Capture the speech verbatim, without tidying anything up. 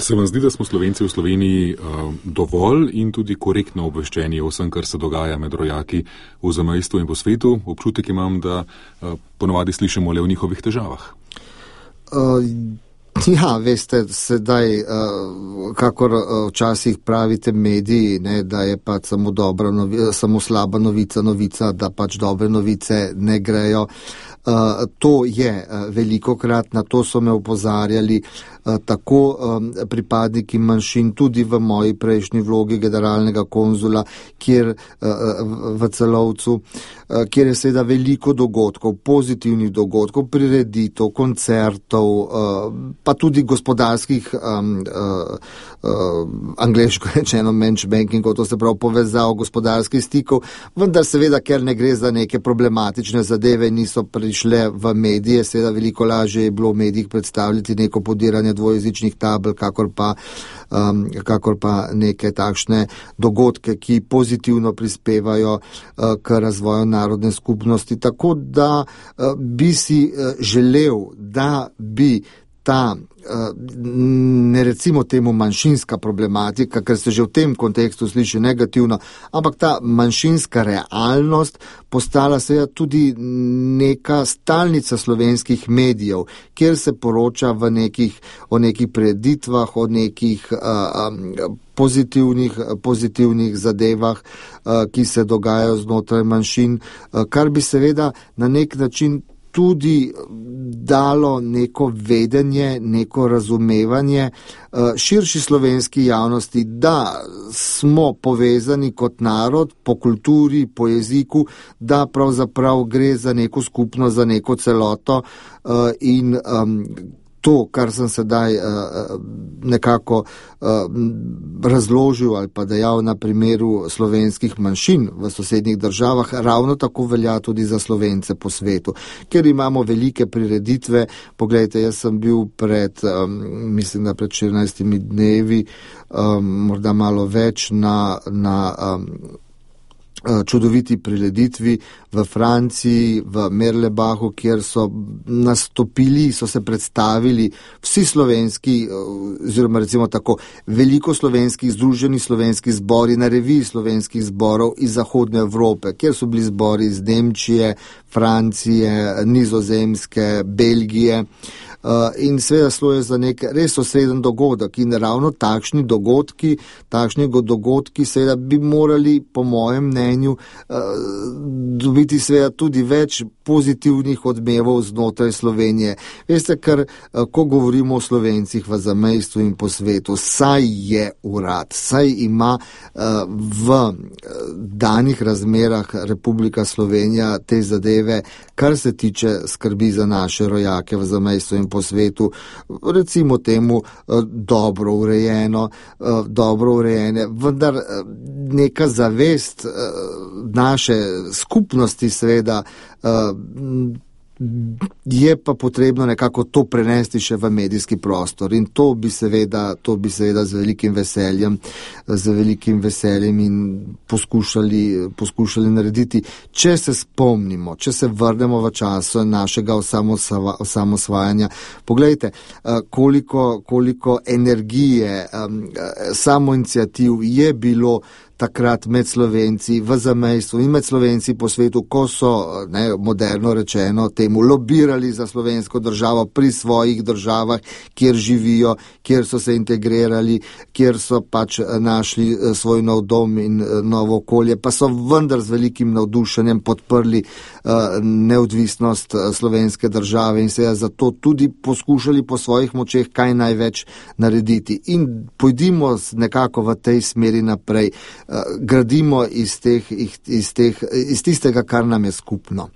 Se vam zdi, da smo Slovenci v Sloveniji uh, dovolj in tudi korektno obveščeni o vsem, kar se dogaja med rojaki v zamejstvu in po svetu? Občutek imam, da uh, ponovadi slišimo le o njihovih težavah. Uh, ja, veste, sedaj, uh, kakor uh, včasih pravite mediji, ne, da je pač samo, dobra novi, samo slaba novica, novica, da pač dobre novice ne grejo. Uh, to je uh, velikokrat, na to so me opozarjali uh, tako um, pripadniki manjšin, tudi v moji prejšnji vlogi generalnega konzula, kjer uh, v Celovcu, uh, kjer je seveda veliko dogodkov, pozitivnih dogodkov, prireditev, koncertov, uh, pa tudi gospodarskih, um, uh, uh, angleško rečeno matchmakingov, to se pravi povezav gospodarskih stikov, vendar seveda, ker ne gre za neke problematične zadeve, niso prišli šle v medije, seveda veliko lažje je bilo v medijih predstavljati neko podiranje dvojezičnih tabel, kakor pa, um, kakor pa neke takšne dogodke, ki pozitivno prispevajo uh, k razvoju narodne skupnosti. Tako da uh, bi si uh, želel, da bi ta, ne recimo temu manjšinska problematika, ker se že v tem kontekstu sliši negativno, ampak ta manjšinska realnost postala seveda tudi neka stalnica slovenskih medijev, kjer se poroča v nekih, o nekih preditvah, o nekih uh, pozitivnih, pozitivnih zadevah, uh, ki se dogajajo znotraj manjšin, uh, kar bi seveda na nek način tudi dalo neko vedenje, neko razumevanje širši slovenski javnosti, da smo povezani kot narod po kulturi, po jeziku, da pravzaprav gre za neko skupnost, za neko celoto in to, kar sem sedaj uh, nekako uh, razložil ali pa dejal na primeru slovenskih manjšin v sosednjih državah, ravno tako velja tudi za Slovence po svetu, ker imamo velike prireditve. Poglejte, jaz sem bil pred, um, mislim, da pred štirinajstimi dnevi, um, morda malo več na, na um, čudoviti prireditvi v Franciji, v Merlebahu, kjer so nastopili, so se predstavili vsi slovenski, oziroma recimo tako, veliko slovenskih, združeni slovenski zbori na reviji slovenskih zborov iz Zahodne Evrope, kjer so bili zbori iz Nemčije, Francije, Nizozemske, Belgije. Uh, in seveda šlo je za nek res osreden dogodek in ravno takšni dogodki, takšni dogodki seveda bi morali, po mojem mnenju, uh, dobiti seveda tudi več pozitivnih odmevov znotraj Slovenije. Veste, ker uh, ko govorimo o Slovencih v zamejstvu in po svetu, saj je urad, saj ima uh, v danih razmerah Republika Slovenija te zadeve, kar se tiče skrbi za naše rojake v zamejstvu in po svetu, recimo temu dobro urejeno, dobro urejene, vendar neka zavest naše skupnosti seveda je pa potrebno nekako to prenesti še v medijski prostor in to bi seveda, to bi seveda z velikim veseljem, z velikim veseljem in poskušali, poskušali narediti. Če se spomnimo, če se vrnemo v času našega osamosvajanja, poglejte, koliko, koliko energije, samoiniciativ je bilo takrat med Slovenci v zamejstvu in med Slovenci po svetu, ko so, ne, moderno rečeno, temu lobirali za slovensko državo pri svojih državah, kjer živijo, kjer so se integrirali, kjer so pač našli svoj nov dom in novo okolje, pa so vendar z velikim navdušenjem podprli uh, neodvisnost slovenske države in se je zato tudi poskušali po svojih močeh kaj največ narediti. In pojdimo nekako v tej smeri naprej. Gradimo iz, teh, iz, teh, iz tistega, kar nam je skupno.